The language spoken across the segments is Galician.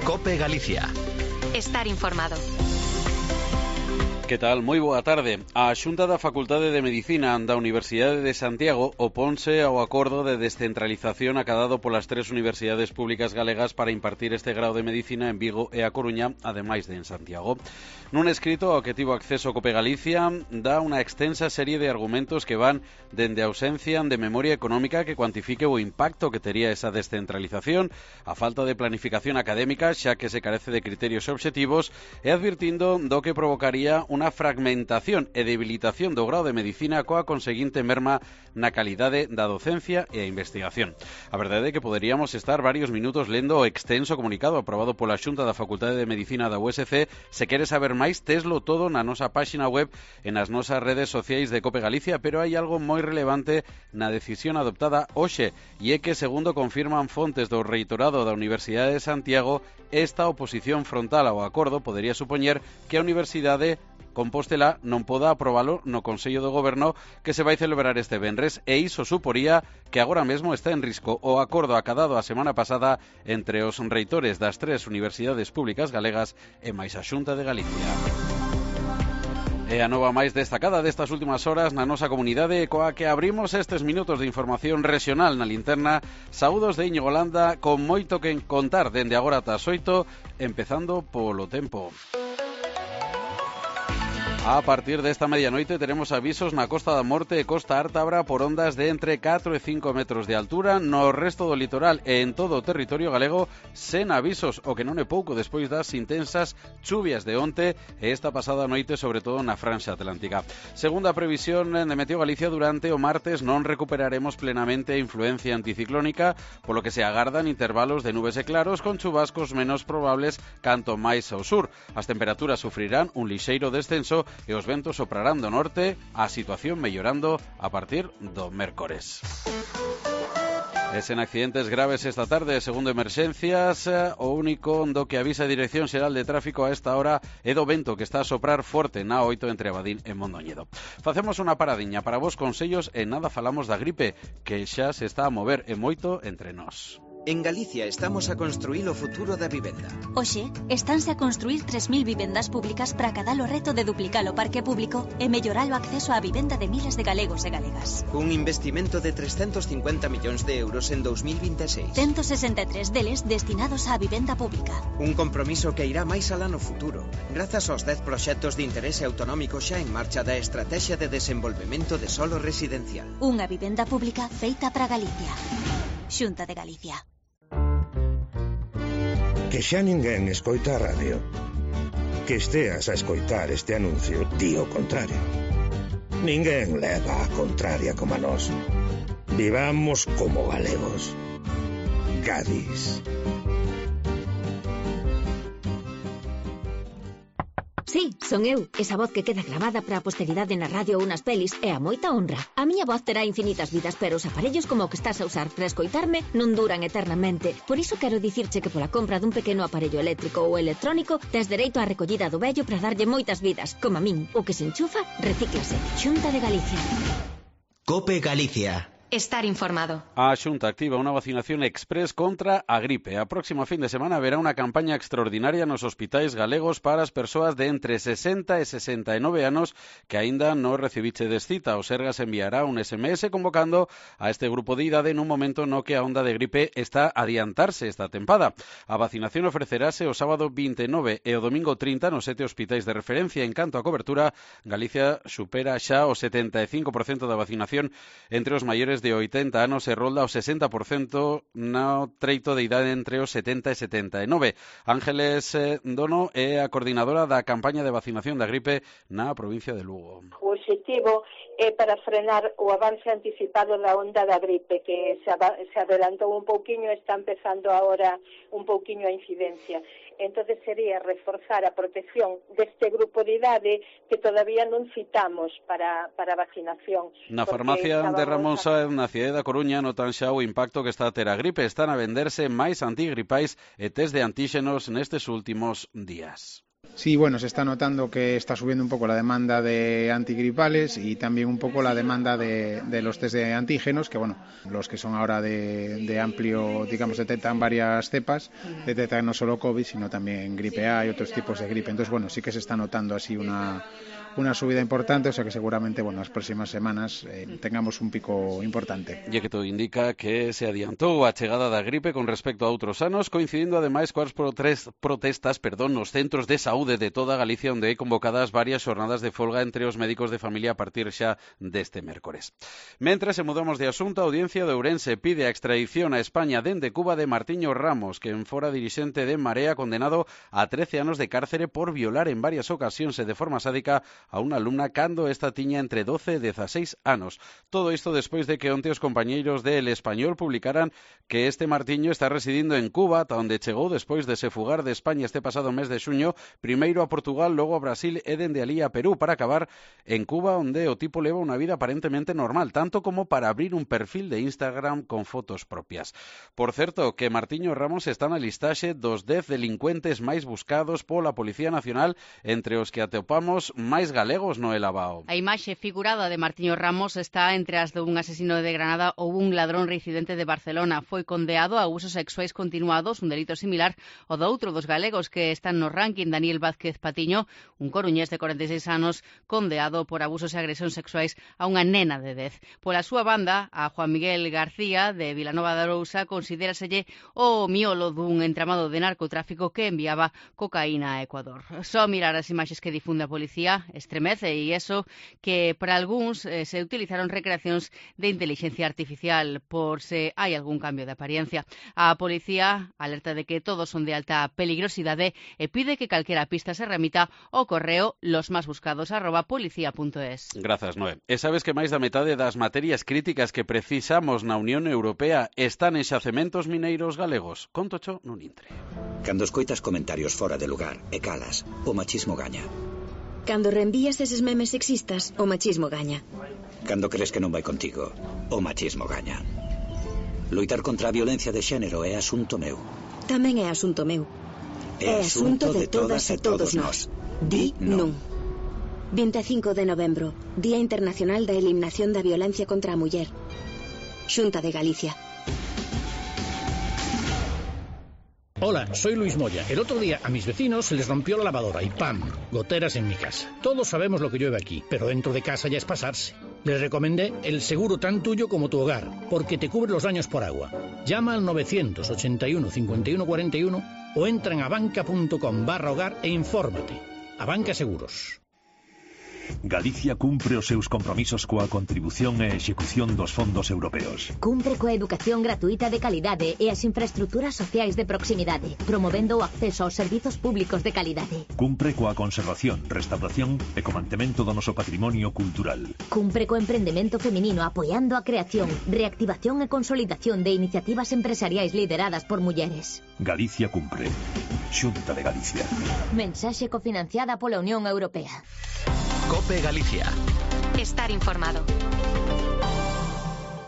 COPE Galicia. Estar informado. Que tal? Moi boa tarde. A Xunta da Facultade de Medicina da Universidade de Santiago oponse ao acordo de descentralización acadado polas 3 universidades públicas galegas para impartir este grao de Medicina en Vigo e a Coruña, ademais de en Santiago. Nun escrito ao que tivo acceso COPE Galicia, dá unha extensa serie de argumentos que van dende a ausencia de memoria económica que cuantifique o impacto que tería esa descentralización, a falta de planificación académica, xa que se carece de criterios obxectivos, e advirtindo do que provocaría unha fragmentación e debilitación do grao de Medicina coa conseguinte merma na calidade da docencia e a investigación. A verdade é que poderíamos estar varios minutos lendo o extenso comunicado aprobado pola Xunta da Facultade de Medicina da USC. Se queres saber máis, teslo todo na nosa páxina web e nas nosas redes sociais de COPE Galicia, pero hai algo moi relevante na decisión adoptada hoxe, e é que, segundo confirman fontes do reitorado da Universidade de Santiago, esta oposición frontal ao acordo podería supoñer que a Universidade Compostela non poda aprobalo no Consello do Goberno que se vai celebrar este venres, e iso suporía que agora mesmo está en risco o acordo acadado a semana pasada entre os reitores das 3 universidades públicas galegas e máis a Xunta de Galicia. E a nova máis destacada destas últimas horas na nosa comunidade, coa que abrimos estes minutos de información regional na linterna. Saúdos de Íñigo Landa, con moito que contar dende agora ata as 8, empezando polo tempo. A partir desta medianoite teremos avisos na Costa da Morte e Costa Ártabra por ondas de entre 4 e 5 metros de altura. No resto do litoral e en todo o territorio galego, sen avisos, o que non é pouco despois das intensas chuvias de onte e esta pasada noite, sobre todo na franxa atlántica. Segundo a previsión de Meteo Galicia, durante o martes non recuperaremos plenamente a influencia anticiclónica, polo que se agardan intervalos de nubes e claros con chubascos menos probables canto máis ao sur. As temperaturas sufrirán un lixeiro descenso e os ventos soprarán do norte, a situación mellorando a partir do mércores. E sen accidentes graves esta tarde, segundo Emerxencias, o único do que avisa a Dirección Xeral de Tráfico a esta hora é do vento que está a soprar forte na 8 entre Abadín e Mondoñedo. Facemos unha paradiña para vos consellos e nada falamos da gripe, que xa se está a mover e moito entre nós. En Galicia estamos a construir o futuro da vivenda. Hoxe, estánse a construir 3.000 vivendas públicas para acadar o reto de duplicar o parque público e mellorar o acceso á vivenda de miles de galegos e galegas. Un investimento de 350 millóns de euros en 2026. 163 deles destinados á vivenda pública. Un compromiso que irá máis alá no futuro, grazas aos 10 proxectos de interese autonómico xa en marcha da Estrategia de Desenvolvemento de Solo Residencial. Unha vivenda pública feita para Galicia. Xunta de Galicia. Que xa ninguén escoita a radio. Que esteas a escoitar este anuncio di o contrario. Ninguén leva a contraria como a nós. Vivamos como galegos. Gadis. Sí, son eu, esa voz que queda gravada para a posteridade na radio ou nas pelis é a moita honra. A miña voz terá infinitas vidas, pero os aparellos como o que estás a usar para escoitarme non duran eternamente. Por iso quero dicirche que pola compra dun pequeno aparello eléctrico ou electrónico tes dereito á recollida do vello para darlle moitas vidas, como a min. O que se enchufa, recíclase. Xunta de Galicia. COPE Galicia. Estar informado. A Xunta activa unha vacinación express contra a gripe. A próxima fin de semana haberá unha campaña extraordinaria nos hospitais galegos para as persoas de entre 60 e 69 anos que aínda non recibichedes cita. O Sergas enviará un SMS convocando a este grupo de idade nun momento no que a onda de gripe está a adiantarse esta tempada. A vacinación ofrecerase o sábado 29 e o domingo 30 nos 7 hospitais de referencia. En canto a cobertura, Galicia supera xa o 75% da vacinación entre os maiores de 80 anos e rolda o 60% no treito de idade entre os 70 e 79. Ángeles Dono é a coordinadora da campaña de vacinación da gripe na provincia de Lugo. O objetivo é para frenar o avance anticipado da onda da gripe, que se adelantou un pouquiño, está empezando agora un pouquiño a incidencia. Entonces sería reforzar a protección deste grupo de idade que todavía non citamos para vacinación. Na farmacia de Ramón Sáenz, na cidade da Coruña, notan xa o impacto que está a ter a gripe. Están a venderse máis antigripais e test de antíxenos nestes últimos días. Sí, bueno, se está notando que está subiendo un poco la demanda de antigripales y también un poco la demanda de los test de antígenos, que bueno, los que son ahora de amplio, digamos, detectan varias cepas, detectan no solo COVID, sino también gripe A y otros tipos de gripe. Entonces, bueno, sí que se está notando así una subida importante, o sea que seguramente, bueno, las próximas semanas tengamos un pico importante. E que todo indica que se adiantou a chegada da gripe con respecto a outros anos, coincidindo ademais coas protestas nos centros de saúde de toda Galicia, onde hai convocadas varias xornadas de folga entre os médicos de familia a partir xa deste mércores. Mentre se mudamos de asunto, a Audiencia de Ourense pide a extradición a España dende Cuba de Martiño Ramos, que fora dirixente de Marea, condenado a 13 anos de cárcere por violar en varias ocasións e de forma sádica a unha alumna cando esta tiña entre 12 e 16 anos. Todo isto despois de que onte os compañeiros de El Español publicaran que este Martiño está residindo en Cuba, ata onde chegou despois de se fugar de España este pasado mes de xuño, primeiro a Portugal, logo a Brasil e dende alí a Perú, para acabar en Cuba, onde o tipo leva unha vida aparentemente normal, tanto como para abrir un perfil de Instagram con fotos propias. Por certo, que Martiño Ramos está na listaxe dos 10 delincuentes máis buscados pola Policía Nacional, entre os que atopamos máis galegos no Elabao. A imaxe figurada de Martiño Ramos está entre as dun asesino de Granada ou un ladrón reincidente de Barcelona. Foi condeado a abusos sexuais continuados, un delito similar ao do outro dos galegos que están no ranking, Daniel Vázquez Patiño, un coruñés de 46 anos, condeado por abusos e agresións sexuais a unha nena de 10. Pola súa banda, a Juan Miguel García, de Vilanova de Arousa, considéraselle o miolo dun entramado de narcotráfico que enviaba cocaína a Ecuador. Só mirar as imaxes que difunde a policía estremece, e iso que para algúns se utilizaron recreacións de inteligencia artificial por se hai algún cambio de apariencia. A policía alerta de que todos son de alta peligrosidade e pide que calquera pista se remita ao correo losmasbuscados@policía.es. Grazas, Noé. E sabes que máis da metade das materias críticas que precisamos na Unión Europea están en xacementos mineiros galegos? Contocho nun intre. Cando escoitas comentarios fora de lugar e calas, o machismo gaña. Cando reenvías eses memes sexistas, o machismo gaña. Cando crees que non vai contigo, o machismo gaña. Loitar contra a violencia de xénero é asunto meu. Tamén é asunto meu. É asunto de todas e todos nós. Di non. 25 de novembro, Día Internacional da Eliminación da Violencia contra a Muller. Xunta de Galicia. Hola, soy Luis Moya. El otro día a mis vecinos se les rompió la lavadora y ¡pam! Goteras en mi casa. Todos sabemos lo que llueve aquí, pero dentro de casa ya es pasarse. Les recomendé el seguro tan tuyo como tu hogar, porque te cubre los daños por agua. Llama al 981 51 41 o entra en abanca.com/hogar e infórmate. Abanca Seguros. Galicia cumpre os seus compromisos coa contribución e execución dos fondos europeos. Cumpre coa educación gratuita de calidade e as infraestructuras sociais de proximidade, promovendo o acceso aos servizos públicos de calidade. Cumpre coa conservación, restauración e co mantemento do noso patrimonio cultural. Cumpre co emprendemento feminino apoiando a creación, reactivación e consolidación de iniciativas empresariais lideradas por mulleres. Galicia cumpre. Xunta de Galicia. Mensaxe cofinanciada pola Unión Europea. COPE Galicia. Estar informado.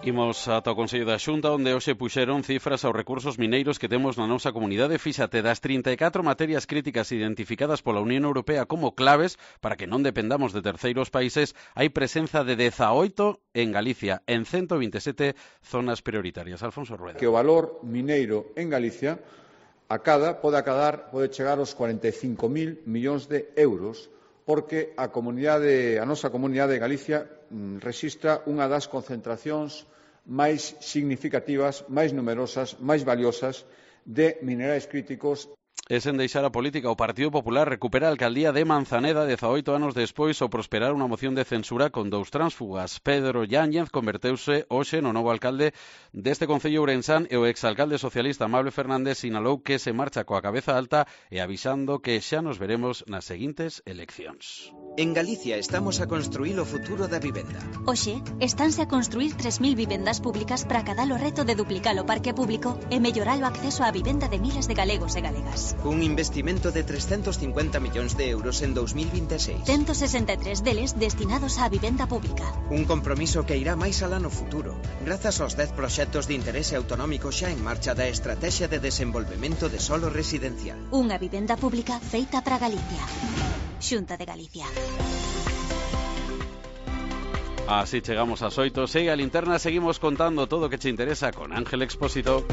Imos ata o Consello da Xunta, onde hoxe puxeron cifras aos recursos mineiros que temos na nosa comunidade. Fíxate, das 34 materias críticas identificadas pola Unión Europea como claves para que non dependamos de terceiros países, hai presenza de 18 en Galicia, en 127 zonas prioritarias. Alfonso Rueda. Que o valor mineiro en Galicia pode chegar aos 45.000 millóns de euros, porque a nosa comunidade de Galicia rexistra unha das concentracións máis significativas, máis numerosas, máis valiosas de minerais críticos. E sen deixar a política, o Partido Popular recupera a alcaldía de Manzaneda 18 anos despois ao prosperar unha moción de censura con 2 tránsfugas. Pedro Yáñez converteuse hoxe no novo alcalde deste concello ourensán e o exalcalde socialista Amable Fernández sinalou que se marcha coa cabeza alta e avisando que xa nos veremos nas seguintes eleccións. En Galicia estamos a construir o futuro da vivenda. Hoxe, estánse a construir 3.000 vivendas públicas para acadar o reto de duplicar o parque público e mellorar o acceso á vivenda de miles de galegos e galegas. cun investimento de 350 millóns de euros en 2026. 163 deles destinados á vivenda pública. Un compromiso que irá máis alá no futuro, grazas aos 10 proxectos de interese autonómico xa en marcha da Estrategia de Desenvolvemento de Solo Residencial. Unha vivenda pública feita para Galicia. Xunta de Galicia. Así chegamos ás 8. Segue a linterna, seguimos contando todo o que che interesa con Ángel Expósito.